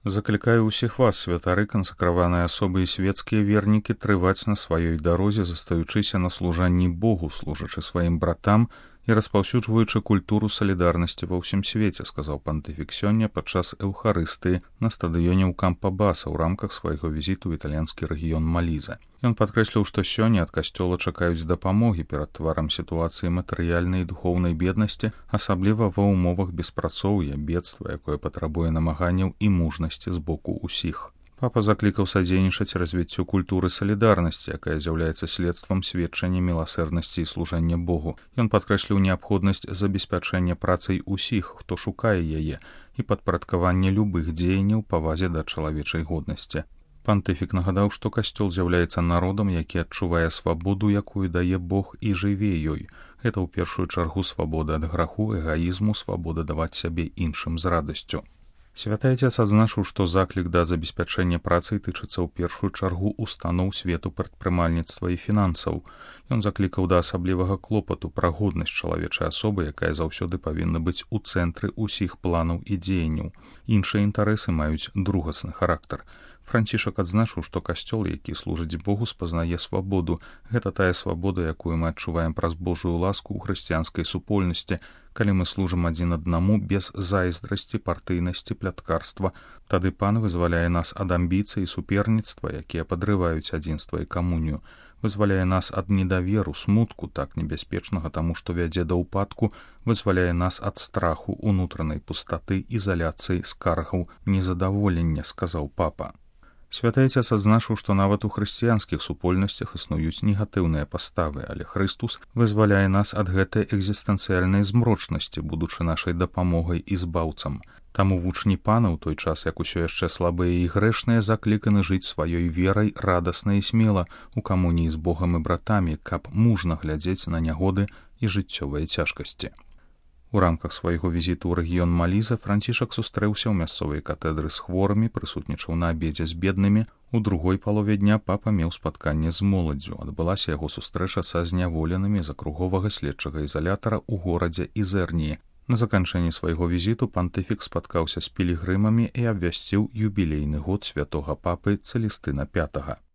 Заклікаю ўсіх вас, святары, кансакраваныя асобы і светскія вернікі, трываць на сваёй дарозе, застаючыся на служанні Богу, служачы сваім братам і распаўсюджваючы культуру салідарнасці ва ўсім свеце, сказаў пантыфік сёння падчас эўхарыстыі на стадыёне ў Кампабаса ў рамках свайго візіту ў італьянскі рэгіён Маліза. Ён падкрэсліў, што сёння ад касцёла чакаюць дапамогі перад тварам сітуацыі матэрыяльнай і духоўнай беднасці, асабліва ва ўмовах беспрацоўя, бедства, якое патрабуе намаганняў і мужнасці з боку ўсіх. Папа заклікаў садзейнічаць развіццю культуры салідарнасці, якая з'яўляецца следствам сведчання міласэрнасці і служання Богу. Ён падкрэсліў неабходнасць забеспячэння працай усіх, хто шукае яе, і падпарадкавання любых дзеянняў павазе да чалавечай годнасці. Пантыфік нагадаў, што касцёл з'яўляецца народам, які адчувае свабоду, якую дае Бог, і жыве ёй. Гэта ў першую чаргу свабода ад граху, эгаізму, свабода даваць сябе іншым з радасцю. Святы Отец адзначыў, што заклік да забеспячэння працай тычыцца ў першую чаргу устаноў свету прадпрымальніцтва і фінансаў. Ён заклікаў да асаблівага клопату пра годнасць чалавечай асобы, якая заўсёды павінна быць у цэнтры ўсіх планаў і дзеянняў. Іншыя інтарэсы маюць другасны характар. Францішак адзначыў, што касцёл, які служыць Богу, спазнае свабоду. Гэта тая свабода, якую мы адчуваем праз Божую ласку ў хрысціянскай супольнасці, калі мы служым адзін аднаму без зайздрасці, партыйнасці, пляткарства. Тады Пан вызваляе нас ад амбіцый і суперніцтва, якія падрываюць адзінства і камунію. Вызваляе нас ад недаверу, смутку, так небяспечнага таму, што вядзе да ўпадку, вызваляе нас ад страху, унутранай пустаты, ізаляцыі, скаргаў, незадаволення, сказаў папа. Святы Отец адзначыў, што нават у хрысціянскіх супольнасцях існуюць негатыўныя паставы, але Хрыстус вызваляе нас ад гэтай экзістэнцыяльнай змрочнасці, будучы нашай дапамогай і збаўцам. Таму вучні Пана ў той час, як усё яшчэ слабыя і грэшныя, закліканы жыць сваёй верай радасна і смела у камуніі з Богам і братамі, каб мужна глядзець на нягоды і жыццёвыя цяжкасці. У рамках свайго візіту ў рэгіён Маліза Францішак сустрэўся ў мясцовай катэдры з хворымі, прысутнічаў на абедзе з беднымі. У другой палове дня папа меў спатканне з моладдзю. Адбылася яго сустрэча са зняволенымі з акруговага следчага ізалятара ў горадзе Ізэрніі. На заканчэнні свайго візіту пантыфік спаткаўся з пілігрымамі і абвясціў юбілейны год святога папы Цэлестына V.